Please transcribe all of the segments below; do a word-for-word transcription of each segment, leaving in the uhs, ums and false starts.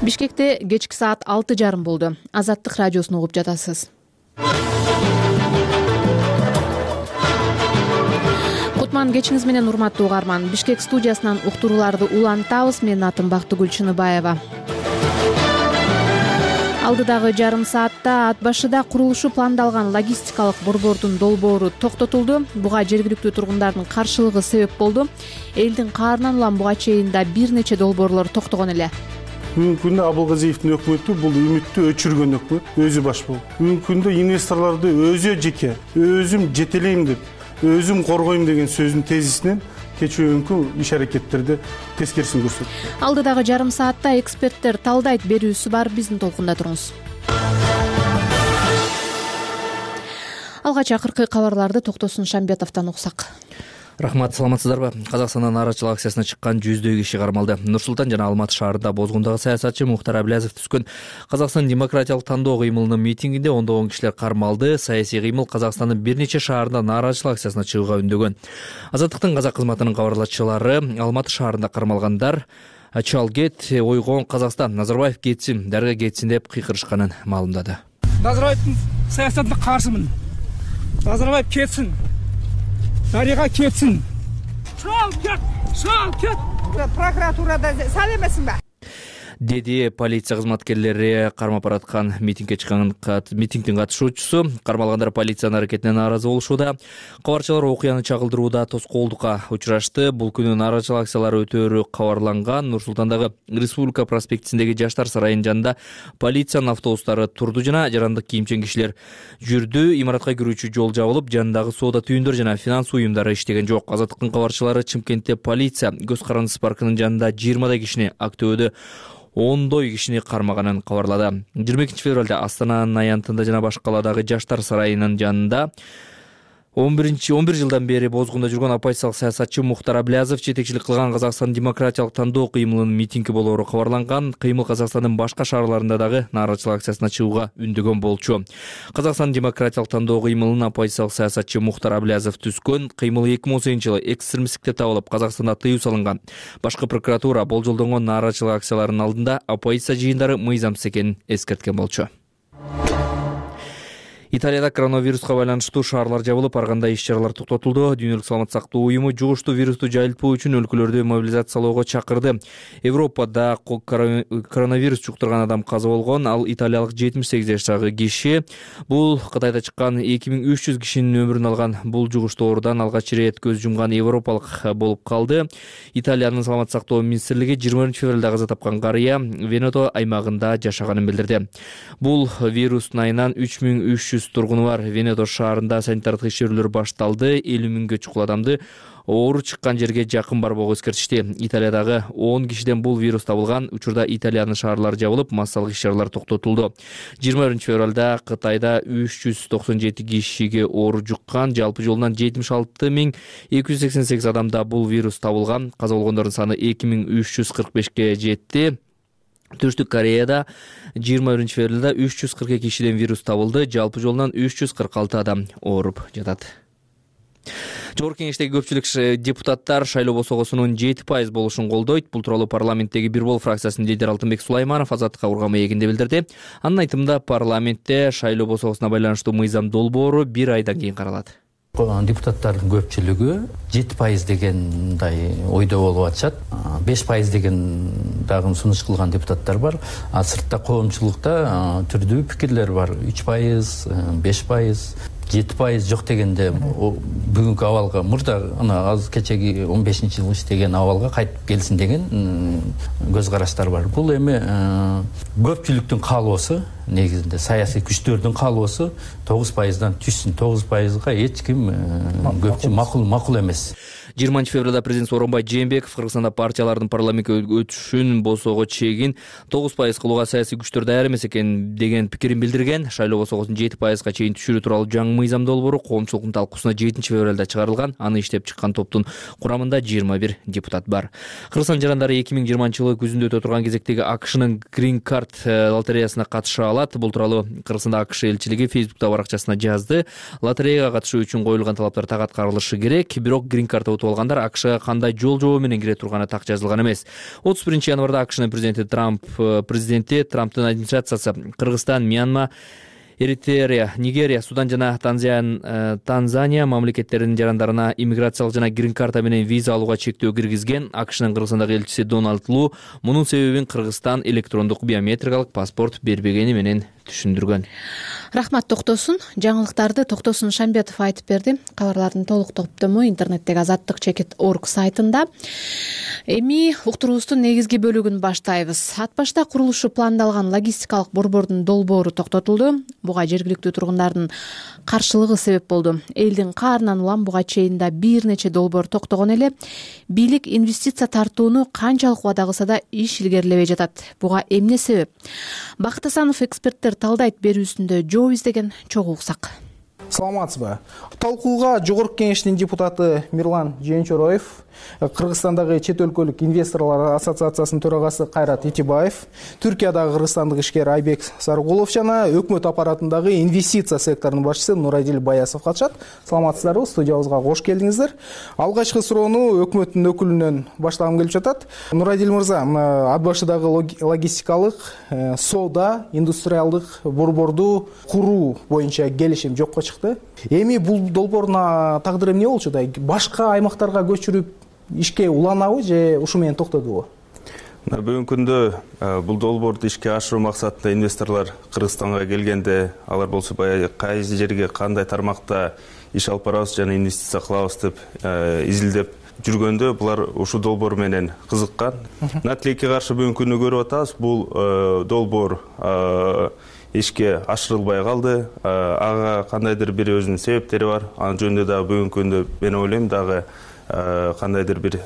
Бишкекте кечки саат алты жарым болду. Азаттык радиосун угуп жатасыз. Кутман кечиңиз менен урматтуу угарман. Бишкек студиясынан уктурууларды улантабыз. Менин атым Бактыгүл Чыныбаева. Алдыдагы жарым саатта ат башыда курулушу пландалган логистикалык борбордун долбоору токтотулду. Буга жергиликтүү тургундардын каршылыгы себеп болду. Элдин каарынан улам буга чейин да бир нече долбоорлор токтогон эле. Бүгүнкү күндө Абылгазиевдин өкмөтү бул үмүттү өчүргөн өкмөт, өзү баш болуп. Бүгүнкү күндө инвесторлорду өзү жеке, өзүм жетелейм деп, өзүм коргойм деген сөзүнүн тезисинен кечүүнкү иш аракеттерди тескерисин көрсөттү. Алдыдагы жарым саатта эксперттер талдайт берүүсү бар, биздин толкунда туруңуз. Алгач акыркы кабарларды Токтосун Шамбетовдон уксак. Рахмат, саламатсыздарбы? Казакстандын нааразычылык акциясына чыккан жүздөй киши кармалды. Нур-Султан жана Алматы шаарында бозгундагы саясатчы Мухтар Аблязов түзгөн Казакстан демократиялык тандоо кыймылынын митингинде ондогон кишилер кармалды. Саясий кыймыл Казакстандын бир нече шаарында нааразычылык акциясына чыгууга үндөгөн. Азаттыктын казак кызматынын кабарлачылары Алматы шаарында кармалгандар чал кет, ойгон Казакстан, Назарбаев кетсин, дарга кетсин деп кыйкырышканын маалымдады. Назарбаевдин саясатына каршымын. Назарбаев кетсин. Дарыга кетсин. Шал кет, шал кет. Прокуратурада сал эмесиңби? Деди полиция кызматкерлери кармап бараткан митингге чыккан митингдин катышуучусу. Кармалгандар полициянын аракетине нааразы болушууда. Кабарчылар окуяны чагылдырууда тоскоолдукка учурашты. Бул күнү нааразычылык акциялары өтөөрү кабарланган. Нур-Султандагы Республика проспектисиндеги Жаштар сарайынын жанында полициянын автобустары турду жана жарандык кийимчен кишилер жүрдү. Имаратка кирүүчү жол жабылып, жанындагы соода түйүндөр жана финанс уюмдары иштеген жок. Азаттыктын кабарчылары Чымкентте полиция Көз карандысы паркынын жанында жыйырмадай кишини, Актөбөдө ондой кишини кармаганын кабарлады. жыйырма экинчи февралда Астананын аянтында жана башка каладагы Жаштар сарайынын жанында он бир жылдан бери бозгунда жүргөн оппозициялык саясатчы Мухтар Аблязов жетекчилик кылган Казакстан демократиялык тандоо кыймылынын митинги болоору кабарланган. Кыймыл Казакстандын башка шаарларында дагы нааразычылык акциясына чыгууга үндөгөн болчу. Казакстан демократиялык тандоо кыймылынын оппозициялык саясатчы Мухтар Аблязов түзгөн кыймыл эки миң он сегизинчи жылы экстремисттикте табылып, Казакстанда тыюу салынган. Башкы прокуратура болжолдонгон нааразычылык акцияларынын алдында оппозиция жыйындары мыйзамсыз экенин эскерткен болчу. Италияда коронавируска байланыштуу шаарлар жабылып, ар кандай иш-чаралар токтотулду. Дүйнөлүк саламат сактоо уюму жугуштуу вирусту жайылтпоо үчүн өлкөлөрдү мобилизациялоого чакырды. Европада коронавирус жуктурган адам каза болгон. Ал италиялык жетимиш сегиз жаштагы киши. Бул Кытайда чыккан эки миң үч жүз кишинин өмүрүн алган. Бул жугуштуу оорудан алгач ирет көз жумган европалык болуп калды. Италиянын саламат сактоо министрлиги жыйырма биринчи февралда каза тапкан карыя Венето аймагында жашаганын билдирди. Бул вирустун айынан үч миң үч жүз тургуну бар. Венето шаарында санитардык текшерүүлөр башталды. элүү миңге чукул адамды оору чыккан жерге жакын барбоого эскертишти. Италиядагы он кишиден бул вирус табылган. Учурда Италиянын шаарлары жабылып, массалык иш-чаралар токтотулду. жыйырма биринчи февралда Кытайда үч жүз токсон жети кишиге оору жуккан. Жалпы жолунан жетимиш алты миң эки жүз сексен сегиз адамда бул вирус табылган. Каза болгондордун саны эки миң үч жүз кырк бешке жетти. Түштүк Кореяда жыйырма биринчи февралда үч жүз кырк эки кишиден вирус табылды. Жалпы жолунан үч жүз кырк алты адам ооруп жатат. Жогорку кеңештеги көпчүлүк депутаттар шайлоо босогосунун жети пайыз болушун колдойт. Бул тууралуу парламенттеги Бир Бол фракциясынын лидери Алтынбек Сулайманов Азаттыкка урга маегинде билдирди. Анын айтымында парламентте шайлоо босогосуна байланыштуу мыйзам долбоору бир айдан кийин каралат. Депутаттардын көпчүлүгү жети пайыз дегендай ойдо болуп атышат. беш пайыз деген дагы сунуш кылган депутаттар бар. А сыртта коомчулукта түрдүү пикирлер бар. үч пайыз, беш пайыз, жети пайыз жок дегенде бүгүнкү абалга мурда ана аз кечеги он бешинчи жылы иштеген абалга кайтып келсин деген көз караштар бар. Бул эми көпчүлүктүн каалоосу, негизинде саясий күчтөрдүн каалоосу тогуз пайыздан түшсүн. тогуз пайызга эч ким көпчүлүк макул макул эмес. жыйырманчы февралда президент Сооронбай Жээнбеков Кыргызстанда партиялардын парламентке өтүшүн босоого чегин тогуз пайыз кылууга саясий күчтөр даяр эмес экен деген пикирин билдирген. Шайлоо босогосун жети пайызга чейин түшүрүү тууралуу жаңы мыйзам долбоору коомчулуктун талкуусуна жетинчи февралда чыгарылган. Аны иштеп чыккан топтун курамында жыйырма бир депутат бар. Кыргызстан жарандары эки миң жыйырманчы жылы күзүндө өтө турган кезектеги АКШнын Green Card лотереясына катыша алат. Бул тууралуу Кыргызстанда АКШ элчилиги Facebook'та баракчасына жазды. Лотереяга катышуу үчүн коюлган талаптар так аткарылышы керек. Бирок Green Card сатып алгандар АКШга кандай жол жобо менен кире турганы так жазылган эмес. отуз биринчи январда АКШнын президенти Трамп президенти Трамптын администрациясы Кыргызстан, Мьянма, Эритрея, Нигерия, Судан жана Танзания мамлекеттеринин жарандарына иммиграциялык жана грин карта менен виза алууга чектөө киргизген. АКШнын Кыргызстандагы элчиси Дональд Лу мунун себебин Кыргызстан электрондук биометрикалык паспорт бербегени менен түшүндүргөн. Рахмат, токтосун. Жаңылыктарды Токтосун Шамбетов айтып берди. Кабарлардын толук топтому интернеттеги азаттык чекит точка орг сайтында. Эми уктуруубуздун негизги бөлүгүн баштайбыз. Ат башта курулушу пландалган логистикалык борбордун долбоору токтотулду. Буга жергиликтүү тургундардын каршылыгы себеп болду. Элдин каарынан улам буга чейин да бир нече долбоор токтогон эле. Бийлик инвестиция тартууну канчалык убада кылса да иш илгерилебей жатат. Буга эмне себеп? Бакыт Асанов эксперттер талдайт берүүсүндө жооп издеген чогуу уксак. Саламатсызбы. Талкууга Жогорку Кеңештин депутаты Мирлан Жээнчороев, Кыргызстандагы чет өлкөлүк инвесторлор ассоциациясынын төрагасы Кайрат Итибаев, Түркиядагы кыргызстандык ишкер Айбек Саргулов жана өкмөт аппаратындагы инвестиция секторунун башчысы Нурадил Баясов катышат. Саламатсыздарбы? Студиябызга кош келдиңиздер. Алгачкы суроону өкмөттүн өкүлүнөн баштагым келип жатат. Нурадил мырза, ат башыдагы логистикалык, соода, индустриалдык борборду куруу боюнча келишим жокко чыкты. Эми бул долбоордун тагдыры эмне болчу да? Башка аймактарга көчүрүп ишке уланабы же ушу менен токтодубу? Бүгүнкү күндө бул долбоорду ишке ашыруу максатында инвесторлор Кыргызстанга келгенде, алар болсо баягы кайсы жерге кандай тармакта иш алып барабыз жана инвестиция кылабыз деп изилдеп жүргөндө булар ушу долбоор менен кызыккан. Тилекке каршы бүгүнкү күндү көрүп атабыз. Бул долбоор ишке ашырылбай калды. Ага кандайдыр бир өзүнүн себептери бар. Анын жөнүндө дагы бүгүнкү күндө мен ойлойм дагы кандайдыр бир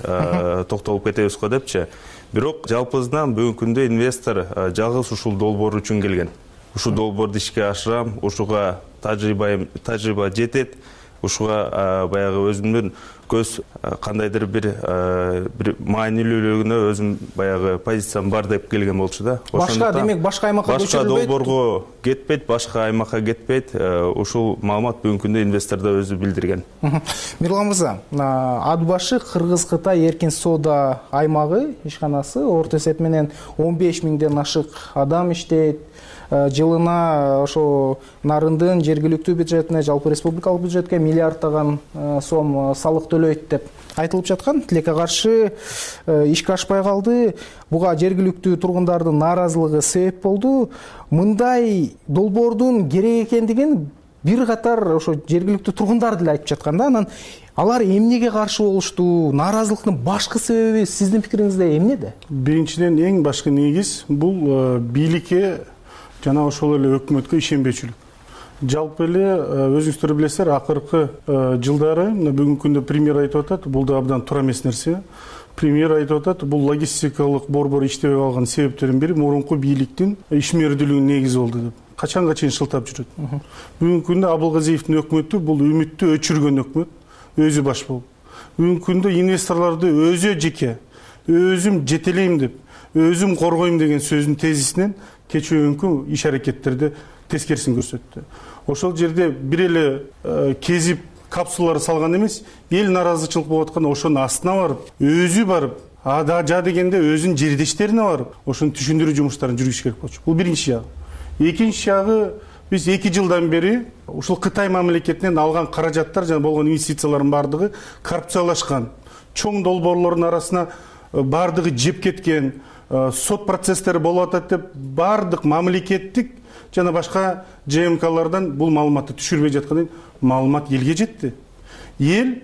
токтолуп кетебиз го депчи. Бирок жалпысынан бүгүнкү күндө инвестор жалгыз ушул долбоор үчүн келген. Ушул долбоорду ишке ашырам, ушуга тажрыйба тажрыйба жетет. Ушуга баягы өзүмдүн көз кандайдыр бир бир маанилүүлүгүнө өзүм баягы позициям бар деп келген болчу да. Башка демек башка аймакка башка долбоорго кетпейт, башка аймакка кетпейт. Ушул маалымат бүгүнкү күндө инвестор да өзү билдирген. Мирлан мырза, ат башы Кыргыз-Кытай эркин соода аймагы ишканасы орто эсеп менен он беш миңден ашык адам иштейт. Жылына ошо Нарындын жергиликтүү бюджетине, жалпы республикалык бюджетке миллиардтаган сом салык төлөйт деп айтылып жаткан. Тилекке каршы ишке ашпай калды. Буга жергиликтүү тургундардын нааразылыгы себеп болду. Мындай долбоордун керек экендигин бир катар ошо жергиликтүү тургундар деле айтып жаткан да. Анан алар эмнеге каршы болушту? Нааразылыктын башкы себеби сиздин пикириңизде эмнеде? Биринчиден эң башкы негиз бул бийликке жана ошол эле өкмөткө ишенбечүлүк. Жалпы эле өзүңүздөр билесиздер, акыркы жылдары бүгүнкү күндө премьер айтып атат, бул да абдан туура эмес нерсе. Премьер айтып атат, бул логистикалык борбор иштебей калган себептердин бири мурунку бийликтин ишмердүүлүгүнүн негизи болду деп. Качанга чейин шылтап жүрөт. Бүгүнкү күндө Абылгазиевдин өкмөтү бул үмүттү өчүргөн өкмөт, өзү баш болуп. Бүгүнкү күндө инвесторлорду өзү жеке, өзүм жетелейм деп, өзүм коргойм деген сөзүнүн тезисинен кечүүнкү иш аракеттерди тескерисин көрсөттү. Ошол жерде бир эле кезип капсулалар салган эмес, эл нааразычылык болуп атканда ошонун астына барып, өзү барып, ада жа дегенде өзүнүн жердештерине барып, ошону түшүндүрүү жумуштарын жүргүзүш керек болчу. Бул биринчи жагы. Экинчи жагы, биз эки жылдан бери ушул Кытай мамлекетинен алган каражаттар жана болгон инвестициялардын бардыгы коррупциялашкан. Чоң долбоорлордун арасына бардыгы жеп кеткен, сот процесстери болуп атат деп бардык мамлекеттик жана башка Ж М Клардан бул маалыматты түшүрбөй жаткан маалымат элге жетти. Эл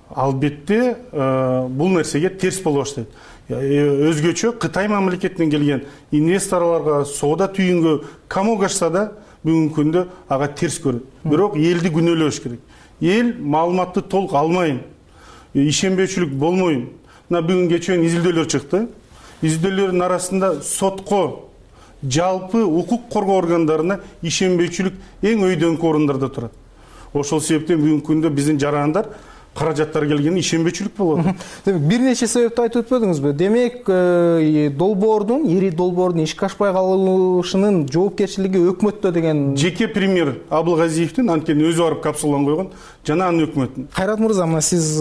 албетте бул нерсеге терс боло баштайт. Өзгөчө Кытай мамлекетинен келген инвесторлорго соода түйүнгө камоого ашса да бүгүнкү күндө ага терс көрөт. Бирок элди күнөөлөбөш керек. Эл маалыматты толук алмайын, ишенбөөчүлүк болмойн. Мына бүгүн кечээ изилдөөлөр чыкты. Изилдөөлөрдүн арасында сотко, жалпы укук коргоо органдарына ишенбөөчүлүк эң өйдөңкү орундарда турат. Ошол себептен бүгүнкү күндө биздин жарандар каражаттар келгенине ишенбечүлүк болуп атат. Демек бир нече себепти айтып өтпөдүңүзбү? Демек долбоордун, ири долбоордун ишке ашпай калышынын жоопкерчилиги өкмөттө деген. Жеке премьер Абылгазиевдин анткени өзү барып капсуланы койгон, жана анын өкмөтүн. Кайрат мырза, мына сиз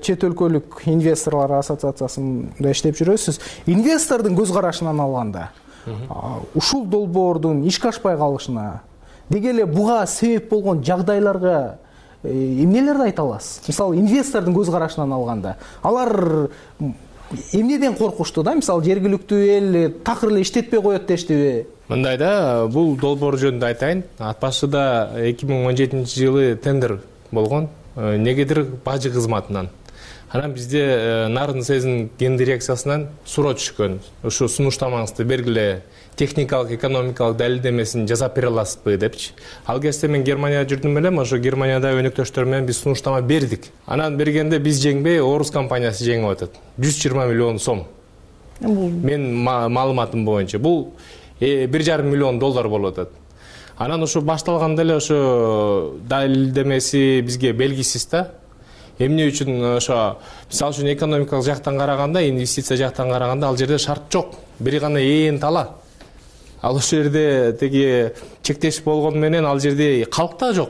чет өлкөлүк инвесторлор ассоциациясында иштеп жүрөсүз. Инвестордун көз карашынан алганда, ушул долбоордун ишке ашпай калышына деги эле буга себеп болгон жагдайларга эмнелерди айта аласыз? Мисалы, инвестордун көз карашынан алганда, алар эмнеден коркушту да? Мисалы, жергиликтүү эл такыр эле иштетпей коет дештиби? Мындай да, бул долбоор жөнүндө айтайын. Ат башыда эки миң он жетинчи жылы тендер болгон, негедир бажы кызматынан. Анан бизде Нарын СЭЗдин ген дирекциясынан суроо түшкөн. Ушу сунуштамаңызды бергиле, техникалык, экономикалык далилдемесин жасап бере аласызбы депчи. Ал кезде мен Германияда жүрдүм элем, ошо Германияда өнөктөштөр менен биз сунуштама бердик. Анан бергенде биз жеңбей, орус компаниясы жеңип атат. жүз жыйырма миллион сом. Мен маалыматым боюнча бул бир жарым миллион доллар болуп атат. Анан ошо башталганда эле ошо далилдемеси бизге белгисиз да. Эмне үчүн ошо мисалы үчүн экономикалык жактан караганда, инвестиция жактан караганда ал жерде шарт жок. Бир гана ээн тала. Ал ошол жерде теги чектеш болгону менен ал жерде калк да жок.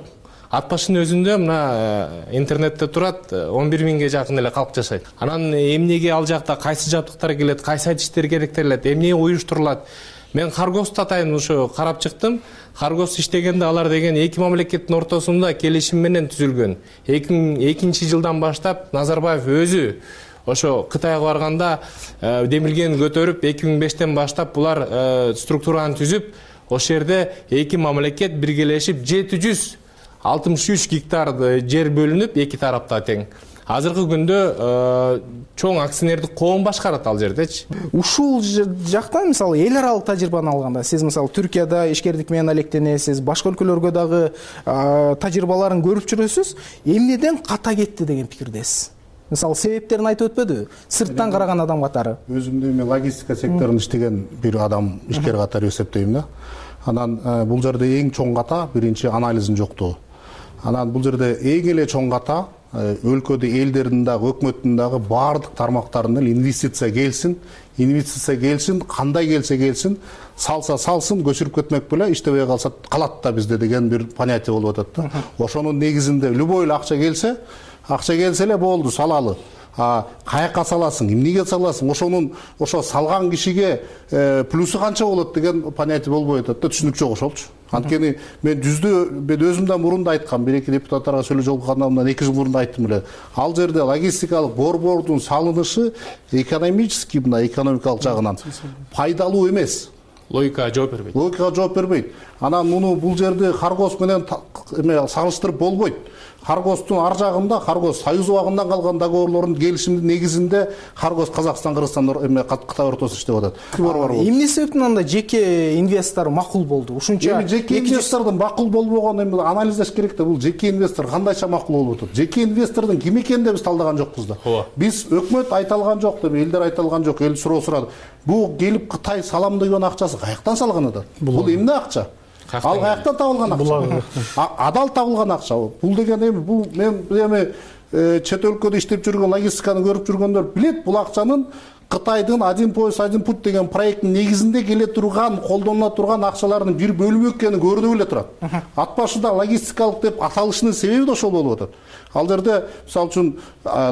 Ат башынын өзүндө мына интернетте турат он бир миңге жакын эле калк жашайт. Анан эмнеге ал жакта кайсы жабдыктар келет, кайсы иштер керектелет, эмне уюштурулат? Мен Харгосту атайын ошо карап чыктым. Харгост иштегенде алар деген эки мамлекеттин ортосунда келишим менен түзүлгөн. эки миң экинчи жылдан баштап Назарбаев өзү ошо Кытайга барганда демилгени көтөрүп, эки миң бештен баштап булар структураны түзүп, ошол жерде эки мамлекет биргелешип жети жүз алтымыш үч гектар жер бөлүнүп, эки тарапта тең. Азыркы күндө чоң акционердик коом башкарат ал жердечи. Ушул жактан мисалы эл аралык тажрыйбаны алганда, сиз мисалы Түркияда ишкердик менен алектенесиз, башка өлкөлөргө дагы тажрыйбаларын көрүп жүрөсүз. Эмнеден ката кетти деген пикирдесиз? Мисалы себептерин айтып өтпөдү? Сырттан караган адам катары. Өзүмдү мен логистика секторунда иштеген бир адам ишкер катары эсептейм да. Анан бул жерде эң чоң ката биринчи анализин жоктугу. Анан бул жерде эң эле чоң ката өлкөдө элдердин дагы өкмөттүн дагы баардык тармактарынан инвестиция келсин, инвестиция келсин, кандай келсе келсин, салса салсын, көчүрүп кетмек беле, иштебей калса калат да бизде деген бир понятие болуп атат да. Ошонун негизинде любой эле акча келсе, акча келсе эле болду, салалы. А каяка саласың, эмнеге саласың, ошонун ошо салган кишиге плюсу канча болот деген понятие болбой атат да, түшүнүк жок ошолчу. Анткени мен жүздө мен өзүмдөн мурун да айткам, бир эки депутаттарга сөйлөп жолуккандамдан эки жыл мурун да айттым эле. Ал жерде логистикалык борбордун салынышы экономический, мына экономикалык жагынан пайдалуу эмес. Логикага жооп бербейт. Логикага жооп бербейт. Анан муну бул жерде Харгос менен эме салыштырып болбойт. Харгостун ар жагында Харгос Союз убагынан калган договорлордун келишимдин негизинде Харгос Казакстан, Кыргызстан эме Кытай ортосунда иштеп атат. Эмне себептен анда жеке инвестор макул болду? Ушунча жеке инвестордун макул болбогонун эми анализдеш керек да. Бул жеке инвестор кандайча макул болуп атат? Жеке инвестордун ким экенин да биз талдаган жокпуз да. Биз өкмөт айта алган жок деп, элдер айта алган жок, эл суроо сурады. Бул келип Кытай салам деген акчасы каяктан салган атат? Бул эмне акча? Ал каяктан табылган акча? Адал табылган акча. Бул деген эми бул мен эми чет өлкөдө иштеп жүргөн, логистиканы көрүп жүргөндөр билет, бул акчанын Кытайдын один пояс один путь деген проекттин негизинде келе турган, колдонула турган акчалардын бир бөлүгү экени көрүнүп эле турат. Ат башында логистикалык деп аталышынын себеби да ошол болуп атат. Ал жерде мисалы үчүн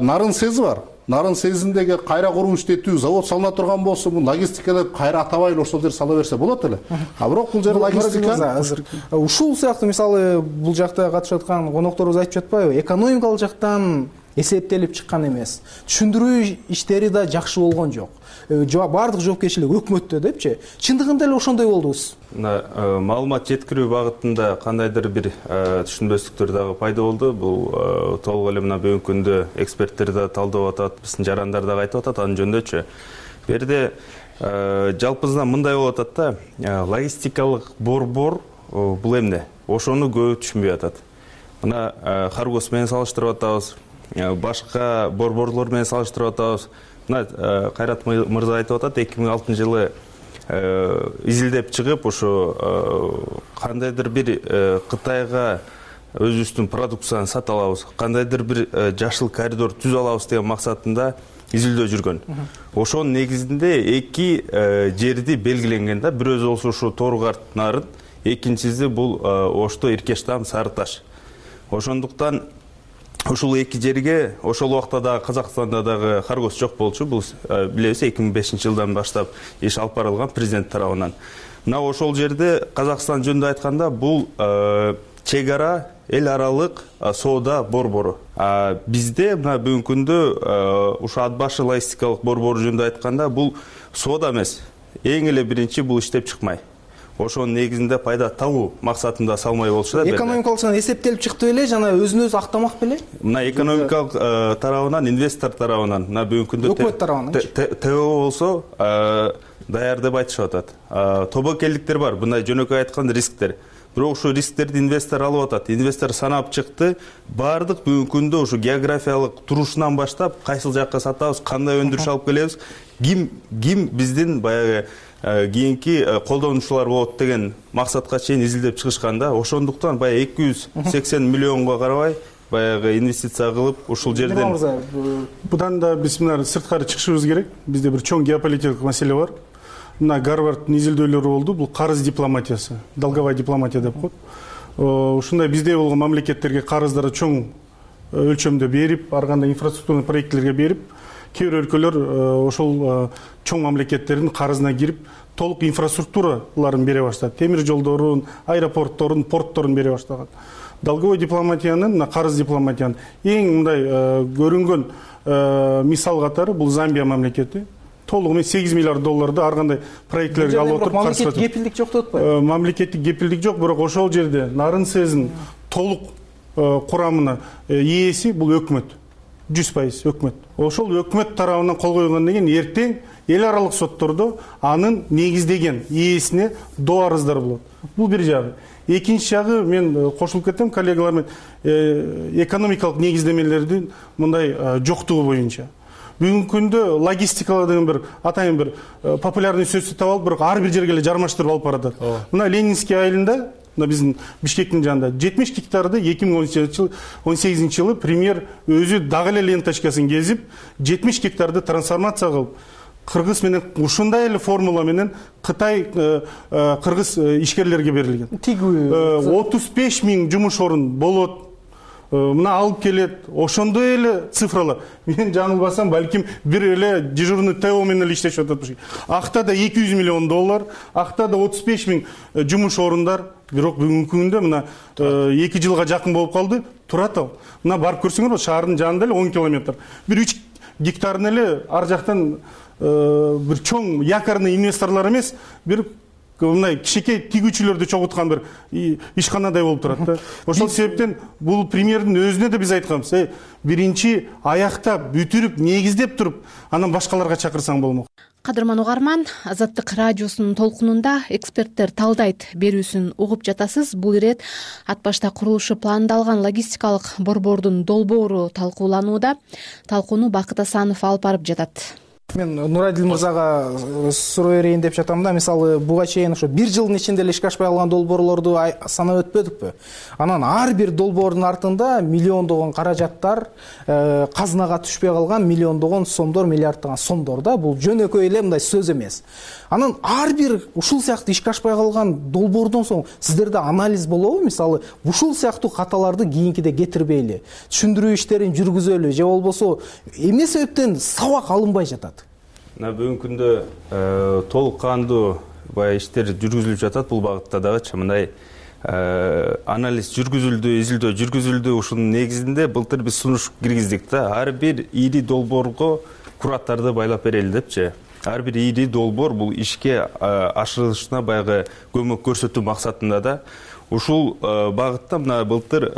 Нарын СЭЗи бар. Нарын СЭЗиндеги кайра куруу иштетүү завод салына турган болсо, бул логистикада кайра атабай эле ошол жер сала берсе болот эле. А бирок бул жер логистика. Ушул сыяктуу мисалы бул жакта катышып аткан конокторубуз айтып жатпайбы? Экономикалык жактан эсептелип чыккан эмес. Түшүндүрүү иштери да жакшы болгон жок. Баардык жоопкерчилик өкмөттө депчи. Чындыгында эле ошондой болдубуз. Маалымат жеткирүү багытында кандайдыр бир түшүнбөстүктөр дагы пайда болду. Бул толук эле мына бүгүнкү күндө эксперттер да талдап атат, биздин жарандар дагы айтып атат анын жөнүндөчү. Бу жерде жалпысынан мындай болуп атат да, логистикалык борбор бул эмне? Ошону көп түшүнбөй атат. Мына Харгос менен салыштырып атабыз, башка борборлор менен салыштырып атабыз. Мына Кайрат мырза айтып атат, эки миң алтынчы жылы изилдеп чыгып, ошо кандайдыр бир Кытайга өзүбүздүн продукцияны сата алабыз, кандайдыр бир жашыл коридор түзө алабыз деген максатында изилдөө жүргөн. Ошонун негизинде эки жерди белгиленген да, бирөөсү болсо ушу Торгарт нарын, экинчиси бул Ошто Иркештам Сары Таш. Ошондуктан ушул эки жерге ошол убакта дагы Казакстанда дагы Харгос жок болчу. Бул билебиз эки миң бешинчи жылдан баштап иш алып барылган президент тарабынан. Мына ошол жерде Казакстан жөнүндө айтканда бул чек ара эл аралык соода борбору. Бизде мына бүгүнкү күндө ушу ат башы логистикалык борбору жөнүндө айтканда бул соода эмес. Эң эле биринчи бул иштеп чыкмай. Ошонун негизинде пайда табуу максатында салмай болчу да. Экономикалык эсептелип чыкты беле жана өзүн өзү актамак беле? Мына экономикалык тарабынан, инвестор тарабынан, мына бүгүнкү күндө өкмөт тарабынан ТО болсо даяр деп айтышып атат. Тобокелдиктер бар, мындай жөнөкөй айтканда рисктер. Бирок ушу рисктерди инвестор алып атат. Инвестор санап чыкты. Бардык бүгүнкү күндө ушу географиялык турушунан баштап, кайсыл жакка сатабыз, кандай өндүрүш алып келебиз, ким ким биздин баягы кийинки колдонуучулар болот деген максатка чейин изилдеп чыгышканда, ошондуктан баягы эки жүз сексен миллионго карабай баягы инвестиция кылып ушул жерден будан да биз мына сырткары чыгышыбыз керек. Бизде бир чоң геополитикалык маселе бар. Мына Гарварддын изилдөөлөрү болду. Бул карыз дипломатиясы, долговая дипломатия деп коет. Ушундай бизде болгон мамлекеттерге карыздарды чоң өлчөмдө берип, ар кандай инфраструктурный проектлерге берип, кээ бир өлкөлөр ошол чоң мамлекеттердин карызына кирип, толук инфраструктураларын бере баштады. Темир жолдорун, аэропортторун, портторун бере баштаган. Долговой дипломатиянын, мына карыз дипломатиянын эң мындай көрүнгөн мисал катары бул Замбия мамлекети. Толугу менен сегиз миллиард долларды ар кандай проектлерге алып отуруп карыз мамлекеттик кепилдик жок деп атпайбы? Мамлекеттик кепилдик жок, бирок ошол жерде нарын сезин толук курамына ээси бул өкмөт. жүз пайыз өкмөт. Ошол өкмөт тарабынан кол койгондон кийин эртең эл аралык соттордо анын негиздеген ээсине доо арыздар болот. Бул бир жагы. Экинчи жагы, мен кошулуп кетем коллегалар менен, экономикалык негиздемелердин мындай жоктугу боюнча. Бүгүнкү күндө логистикалар деген бир атайын бир популярный сөздү таап алып, бирок ар бир жерге эле жармаштырып алып баратат. Мына Ленинский айылында, мына биздин Бишкектин жанында жетимиш гектарды эки миң он сегизинчи жылы премьер өзү дагы эле ленточкасын кезип, жетимиш гектарды трансформация кылып, Кыргыз менен ушундай эле формула менен Кытай кыргыз ишкерлерге берилген. отуз беш миң жумуш орун болот. Мына алып келет, ошондой эле цифралар. Мен жаңылбасам, балким бир эле дежурный ТО менен эле иштешип атат. Акта да эки жүз миллион доллар, акта да отуз беш миң жумуш орундар. Бирок бүгүнкү күндө мына эки жылга жакын болуп калды, турат ал. Мына барып көрсөңөр, шаардын жанында эле он километр. Бир үч гектарын эле ар жактан бир чоң якорный инвесторлор эмес, бир мындай кичинекей тигүүчүлөрдү чогулткан бир ишканадай болуп турат да. Ошол себептен бул премьердин өзүнө да биз айтканбыз, э биринчи аяктап, бүтүрүп, негиздеп туруп, анан башкаларга чакырсаң болмок. Кадырман угарман, Азаттык радиосунун толкунунда эксперттер талдайт берүүсүн угуп жатасыз. Бул ирет ат башта курулушу пландалган логистикалык борбордун долбоору талкууланууда. Талкууну Бакыт Асанов алып барып жатат. Мен Нурадил мырзага суроо берейин деп жатам да. Мисалы, буга чейин ошо бир жылдын ичинде эле ишке ашпай калган долбоорлорду санап өтпөдүкпү? Анан ар бир долбоордун артында миллиондогон каражаттар, казынага түшпөй калган миллиондогон сомдор, миллиарддаган сомдор да. Бул жөнөкөй эле мындай сөз эмес. Анан ар бир ушул сыяктуу ишке ашпай калган долбоордон соң сиздерде анализ болобу? Мисалы, ушул сыяктуу каталарды кийинкиде кетирбейли, түшүндүрүү иштерин жүргүзөлү же болбосо эмне себептен сабак алынбай жатат? Мына бүгүнкү күндө толук кандуу баягы иштер жүргүзүлүп жатат бул багытта дагычы. Мындай анализ жүргүзүлдү, изилдөө жүргүзүлдү. Ушунун негизинде былтыр биз сунуш киргиздик да. Ар бир ири долбоорго кураттарды байлап берели депчи. Ар бир ири долбоор бул ишке ашырылышына баягы көмөк көрсөтүү максатында да. Ушул багытта мына былтыр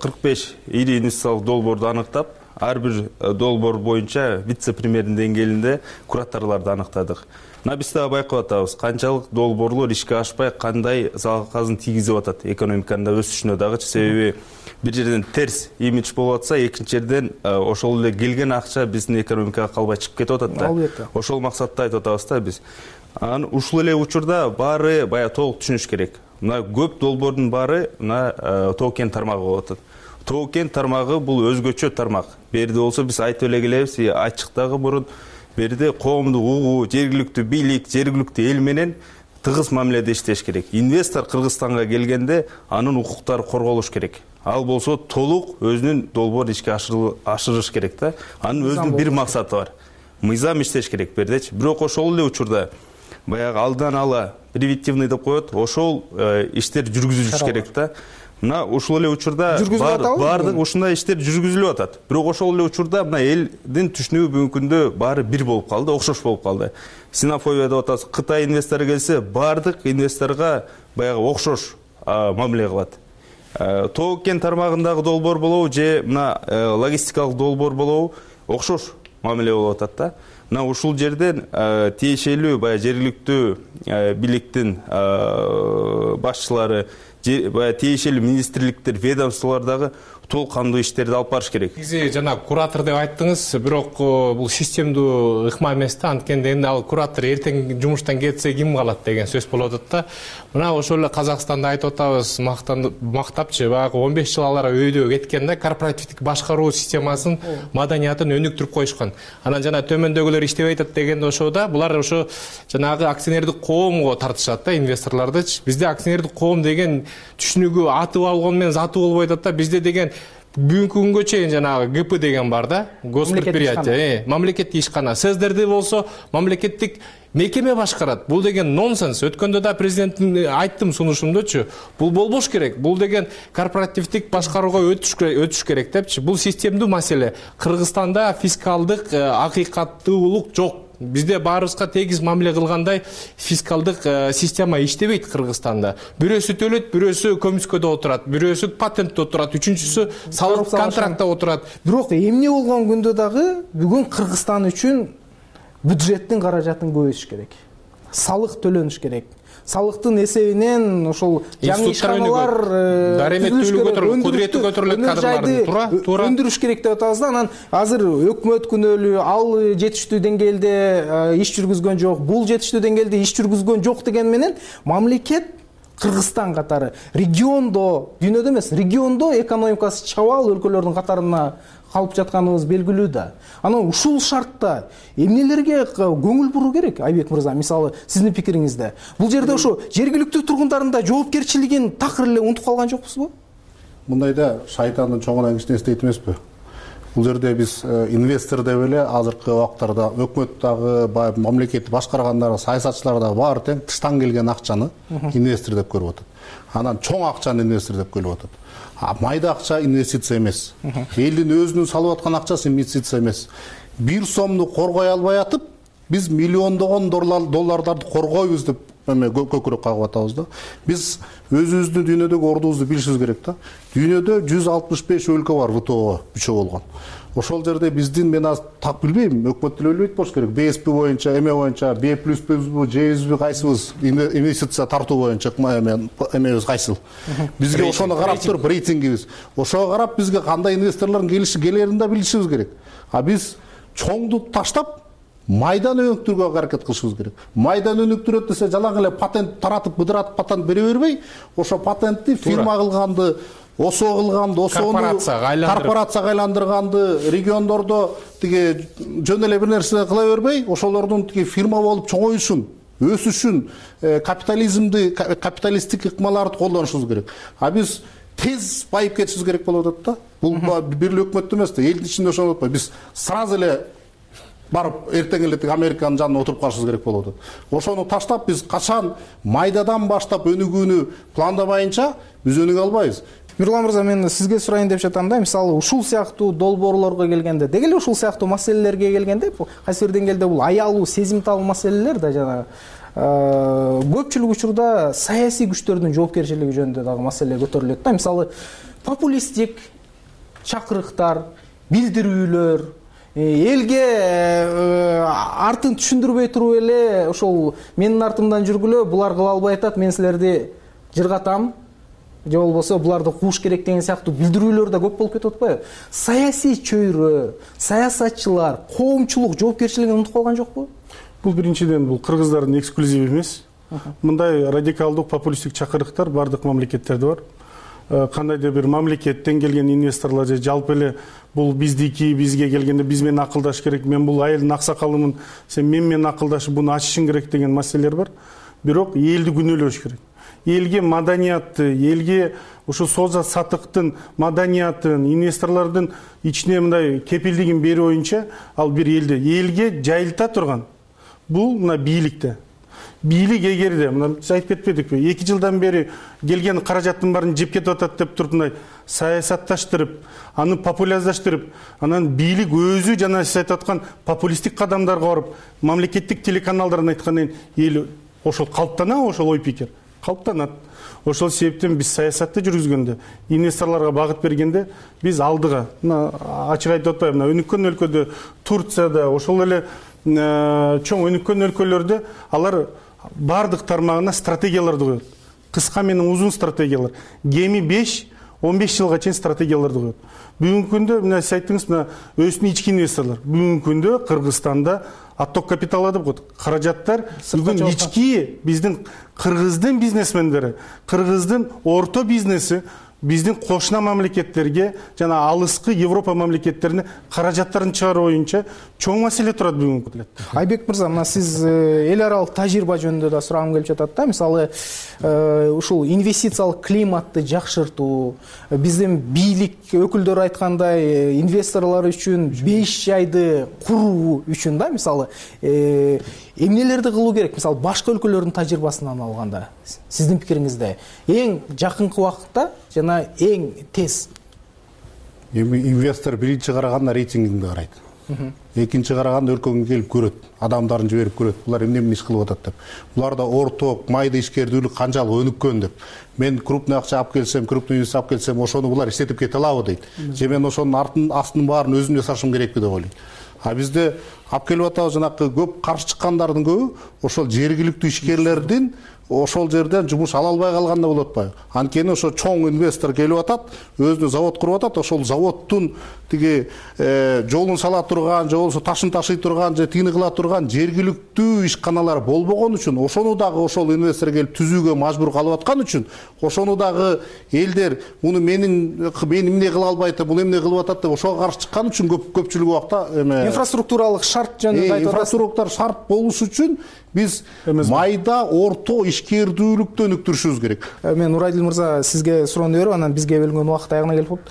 кырк беш ири инвестициялык долбоорду аныктап, ар бир долбоор боюнча вице-премьердин деңгээлинде кураттарларды аныктадык. Мына биз дагы байкап атабыз, канчалык долбоорлор ишке ашпай, кандай залалсызын тийгизип атат экономиканын өсүшүнө дагычы. Себеби бир жерден терс имидж болуп атса, экинчи жерден ошол эле келген акча биздин экономикага калбай чыгып кетип атат да. Ошол максатта айтып атабыз да биз. Анан ушул эле учурда баары баягы толук түшүнүш керек. мына көп долбоордун баары мына тоо кен тармагы болуп атат. Тоо кен тармагы бул өзгөчө тармак. Берде болсо биз айтып эле келебиз, ачыктагы мурун берде коомдук угуу, жергиликтүү бийлик, жергиликтүү эл менен тыгыз мамиледе иштеш керек. Инвестор Кыргызстанга келгенде анын укуктары корголуш керек. Ал болсо толук өзүнүн долбоорун ишке ашырыш керек да. Анын өзүнүн бир максаты бар. Мыйзам иштеш керек бердечи. Бирок ошол эле учурда баягы алдан ала превентивный деп коет, ошол иштер жүргүзүлүш керек да. Мына ушул эле учурда баардык ушундай иштер жүргүзүлүп атат. Бирок ошол эле учурда мына элдин түшүнүгү бүгүнкү күндө баары бир болуп калды, окшош болуп калды. Синофобия деп атабыз. Кытай инвестору келсе, баардык инвесторго баягы окшош мамиле кылат. Тоо кен тармагындагы долбоор болобу же мына логистикалык долбоор болобу окшош мамиле болуп атат да. Мына ушул жерден тиешелүү баягы жергиликтүү бийликтин башчылары, тиешелүү министрликтер, ведомстволордогу толук кандуу иштерди алып барыш керек. Сиз жана куратор деп айттыңыз, бирок бул системдүү ыкма эмес да. Анткенде эми ал куратор эртең жумуштан кетсе ким калат деген сөз болуп атат да. Мына ошол эле Казакстанда айтып атабыз, мактапчы баягы он беш жыл алар өйдө кеткен да, корпоративдик башкаруу системасын, маданиятын өнүктүрүп коюшкан. Анан жана төмөндөгүлөр иштебей атат дегенде ошо да, булар ошо жанагы акционердик коомго тартышат да, инвесторлордучу. Бизде акционердик коом деген түшүнүгү атып алгон менен заты болбой атат да. Бизде деген бүгүнкү күнгө чейин жанагы ГП деген бар да, госпредприятие, мамлекеттик ишкана. Сиздерде болсо мамлекеттик мекеме башкарат. Бул деген нонсенс. Өткөндө да президенттин айттым сунушумдочу. Бул болбош керек. Бул деген корпоративдик башкарууга өтүш керек депчи. Бул системдүү маселе. Кыргызстанда фискалдык акыйкаттуулук жок. Бизде баарыбызга тегиз мамиле кылгандай фискалдык система иштебейт Кыргызстанда. Бирөөсү төлөйт, бирөөсү көмүскөдө отурат, бирөөсү патентте отурат, үчүнчүсү салык контрактта отурат. Бирок эмне болгон күндө дагы бүгүн Кыргызстан үчүн бюджеттин каражатын көбөйтүш керек. Салык төлөнүш керек. Салыктын эсебинен ошол жаңы ишканалар кудурети көтөрүлөт кадрларды туура туура өндүрүш керек деп атабыз да. Анан азыр өкмөт күнөөлүү, ал жетиштүү деңгээлде иш жүргүзгөн жок, бул жетиштүү деңгээлде иш жүргүзгөн жок деген менен мамлекет Кыргызстан катары региондо, дүйнөдө эмес, региондо экономикасы чабал өлкөлөрдүн катарына калып жатканыбыз белгилүү да. Анан ушул шартта эмнелерге көңүл буруу керек, Айбек мырза? Мисалы, сиздин пикириңизде бул жерде ошо жергиликтүү тургундардын да жоопкерчилигин такыр эле унутуп калган жокпузбу? Мындайда шайтандын чоңунан кичине эстейт эмеспи? Бул жерде биз инвестор деп эле азыркы убактарда өкмөт дагы, мамлекетти башкаргандар, саясатчылар дагы баары тең тыштан келген акчаны инвестор деп көрүп атат. Анан чоң акчаны инвестор деп көрүп атат. Майда акча инвестиция эмес. Элдин өзүнүн салып аткан акчасы инвестиция эмес. Бир сомду коргой албай атып, биз миллиондогон доллардарды коргойбуз деп көкүрөк кагып атабыз да. Биз өзүбүздүн дүйнөдөгү ордубузду билишибиз керек да. Дүйнөдө жүз алтымыш беш өлкө бар ВТОго мүчө болгон. Ошол жерде биздин, мен аз так билбейм, өкмөт деле билбейт болуш керек. БСП боюнча, эме боюнча, Б плюсбү, Жбү кайсыбыз инвестиция тартуу боюнча эмебиз кайсыл. Бизге ошону карап туруп рейтингибиз. Ошого карап бизге кандай инвесторлордун келиши келерин да билишибиз керек. А биз чоңду таштап майдан өнүктүрүүгө аракет кылышыбыз керек. Майдан өнүктүрөт десе жалаң эле патент таратып, быдыратып патент бере бербей, ошо патентти фирма кылганды, осо кылганды, осону корпорацияга айландырганды, региондордо тиги жөн эле бир нерсе кыла бербей, ошолордун тиги фирма болуп чоңоюшун, өсүшүн, капитализмди, капиталисттик ыкмаларды колдонушубуз керек. А биз тез байып кетишибиз керек болуп атат да. Бул бир эле өкмөттө эмес да, элдин ичинде ошону утпай. Биз сразу эле барып эртең эле тиги Американын жанына отуруп калышыбыз керек болуп атат. Ошону таштап биз качан майдадан баштап өнүгүүнү пландабайынча биз өнүгө албайбыз. Мирлан мырза, мен сизге сурайын деп жатам да, мисалы ушул сыяктуу долбоорлорго келгенде, деги эле ушул сыяктуу маселелерге келгенде, кайсы бир деңгээлде бул аялуу, сезимтал маселелер да, жана көпчүлүк учурда саясий күчтөрдүн жоопкерчилиги жөнүндө дагы маселе көтөрүлөт да. Мисалы, популисттик чакырыктар, билдирүүлөр, элге артын түшүндүрбөй туруп эле ошол менин артымдан жүргүлө, булар кыла албай атат, мен силерди жыргатам, же болбосо буларды кууш керек деген сыяктуу билдирүүлөр да көп болуп кетип атпайбы? Саясий чөйрө, саясатчылар, коомчулук жоопкерчилигин унутуп калган жокпу? Бул биринчиден бул кыргыздардын эксклюзиви эмес. мындай радикалдык популисттик чакырыктар бардык мамлекеттерде бар. Кандайдыр бир мамлекеттен келген инвесторлар же жалпы эле бул биздики, бизге келгенде биз менен акылдаш керек, мен бул айылдын аксакалымын, сен мен менен акылдашып буну ачышың керек деген маселелер бар. Бирок элди күнөөлөш керек. Элге маданиятты, элге ушул соза сатыктын маданиятын, инвесторлордун ичине мындай кепилдигин берүү боюнча ал бир элди элге жайылта турган бул мына бийликте. Бийлик эгерде мына биз айтып кетпедикпи, эки жылдан бери келген каражаттын баарын жеп кетип атат деп туруп мындай саясатташтырып, аны популярдаштырып, анан бийлик өзү жана сиз айтып аткан популисттик кадамдарга барып, мамлекеттик телеканалдардан айткандан кийин эл ошол калыптанабы, ошол ой пикир калыптанат. Ошол себептен биз саясатты жүргүзгөндө, инвесторлорго багыт бергенде биз алдыга, мына ачык айтып атпайбы, мына өнүккөн өлкөдө, Турцияда, ошол эле чоң өнүккөн өлкөлөрдө алар бардык тармагына стратегияларды коет. Кыска менен узун стратегиялар. Кеми беш он беш жылга чейин стратегияларды коет. Бүгүнкү күндө мына сиз айттыңыз, мына өсүн ички инвесторлор. Бүгүнкү күндө Кыргызстанда отток капиталы деп коет. Каражаттар бүгүн ички биздин кыргыздын бизнесмендери, кыргыздын орто бизнеси биздин кошуна мамлекеттерге жана алыскы Европа мамлекеттерине каражаттарын чыгаруу боюнча чоң маселе турат бүгүнкү күндө. Айбек мырза, мына сиз эл аралык тажрыйба жөнүндө да сурагым келип жатат да. Мисалы, ушул инвестициялык климатты жакшыртуу, биздин бийлик өкүлдөрү айткандай, инвесторлор үчүн беш жайды куруу үчүн да, мисалы, эмнелерди кылуу керек? Мисалы, башка өлкөлөрдүн тажрыйбасынан алганда, сиздин пикириңизде эң жакынкы убакытта жана эң тез? Эми инвестор биринчи караганда рейтингиңди карайт. Экинчи караганда өлкөгө келип көрөт, адамдарын жиберип көрөт. Булар эмне менен иш кылып атат деп. Буларда орток, майда ишкердүүлүк канчалык өнүккөн деп. Мен крупный акча алып келсем, крупный инвестиция алып келсем, ошону булар иштетип кете алабы дейт. Же мен ошонун артын астынын баарын өзүм жасашым керекпи деп ойлойт. А бизде алып келип атабыз жанакы көп каршы чыккандардын көбү ошол жергиликтүү ишкерлердин ошол жерден жумуш ала албай калганда болуп атпайбы? Анткени ошо чоң инвестор келип атат, өзүнө завод куруп атат, ошол заводдун тиги жолун сала турган, же болбосо ташын ташый турган, же тигини кыла турган жергиликтүү ишканалар болбогон үчүн, ошону дагы ошол инвестор келип түзүүгө мажбур калып аткан үчүн, ошону дагы элдер муну менин мен эмне кыла албайт, бул эмне кылып атат деп ошого каршы чыккан үчүн көп көпчүлүк убакта эме инфраструктуралык шарт жөнүндө айтып атасыз. Инфраструктура шарт болуш үчүн биз майда орто ишкердүүлүктү өнүктүрүшүбүз керек. Мен Нурайдил мырза сизге суроону берип, анан бизге бөлүнгөн убакыт аягына келип калды.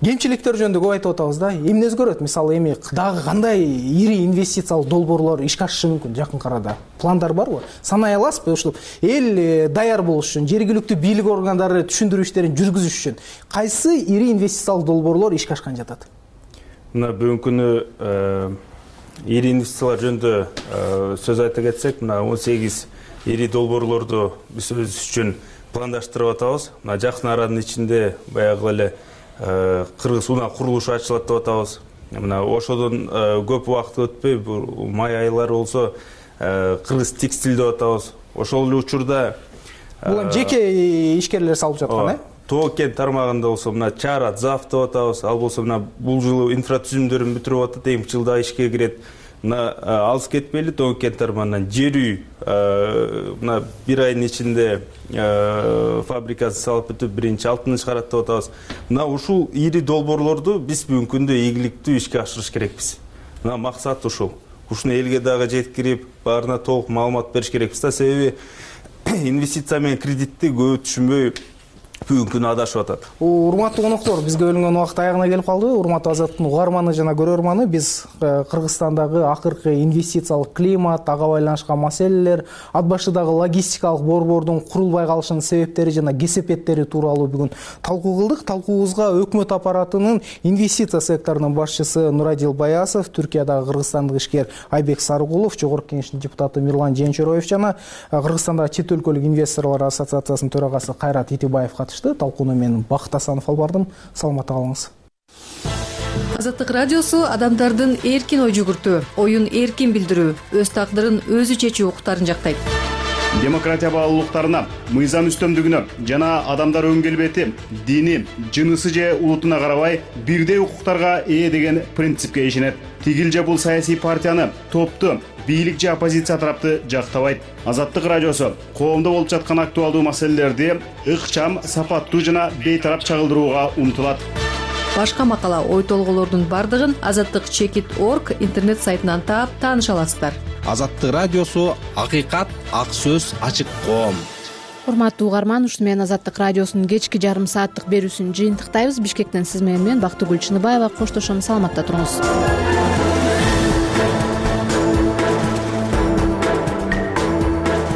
Кемчиликтер жөнүндө көп айтып атабыз да. Эмне өзгөрөт? Мисалы, эми дагы кандай ири инвестициялык долбоорлор ишке ашышы мүмкүн жакын арада? Пландар барбы? Санай аласызбы? Ушул эл даяр болуш үчүн, жергиликтүү бийлик органдары түшүндүрүү иштерин жүргүзүш үчүн кайсы ири инвестициялык долбоорлор ишке ашкан жатат? Мына бүгүнкү күнү ири инвестициялар жөнүндө сөз айта кетсек, мына он сегиз ири долбоорлорду биз өзүбүз үчүн пландаштырып атабыз. Мына жакын аранын ичинде баягы эле Кыргыз унаа курулушу ачылат деп атабыз. Мына ошодон көп убакыт өтпөй, май айлары болсо Кыргыз текстиль деп атабыз. Ошол эле учурда бул эми жеке ишкерлер салып жаткан, э? Тоо кен тармагында болсо мына Чара Зав деп атабыз. Ал болсо мына бул жылы инфратүзүмдөрүн бүтүрүп атат, эми жылда ишке кирет. Мына алыс кетпейли, Тоо кен тармагынан жер үй мына бир айдын ичинде фабрикасын салып бүтүп, биринчи алтынын чыгарат деп атабыз. Мына ушул ири долбоорлорду биз бүгүнкү күндө ийгиликтүү ишке ашырыш керекпиз. Мына максат ушул. Ушуну элге дагы жеткирип, баарына толук маалымат бериш керекпиз да, себеби инвестиция менен кредитти көп түшүнбөй бүгүнкү күнү адашып атат. Урматтуу коноктор, бизге бөлүнгөн убакыт аягына келип калды. Урматтуу Азаттын угарманы жана көрөрманы, биз Кыргызстандагы акыркы инвестициялык климат, ага байланышкан маселелер, ат башыдагы логистикалык борбордун курулбай калышынын себептери жана кесепеттери тууралуу бүгүн талкуу кылдык. Талкуубузга өкмөт аппаратынын инвестиция секторунун башчысы Нурайдил Баясов, Түркиядагы кыргызстандык ишкер Айбек Сарыгулов, Жогорку Кеңештин депутаты Мирлан Жеенчороев жана Кыргызстандагы чет өлкөлүк инвесторлор ассоциациясынын төрагасы Кайрат Итибаев катышты. Талкууну мен Бакыт Асанов алып бардым. Саламатта калыңыз. Азаттык радиосу адамдардын эркин ой жүгүртүү, оюн эркин билдирүү, өз тагдырын өзү чечүү укуктарын жактайт. Демократия баалуулуктарына, мыйзам үстөмдүгүнө жана адамдар өн келбети, дини, жынысы же улутуна карабай бирдей укуктарга ээ деген принципке ишенет. Тигил же бул саясий партияны, топту, бийлик же оппозиция тарапты жактабайт. Азаттык радиосу коомдо болуп жаткан актуалдуу маселелерди ыкчам, сапаттуу жана бейтарап чагылдырууга умтулат. Башка макала, ой толгоолордун бардыгын азаттык чекит точка орг интернет сайтынан таап тааныша аласыздар. Азаттык радиосу акыйкат, ак сөз, ачык коом. Урматтуу угарман, ушуну менен Азаттык радиосунун кечки жарым сааттык берүүсүн жыйынтыктайбыз. Бишкектен сиз менен мен Бактыгүл Чыныбаева коштошом. Саламатта туруңуз.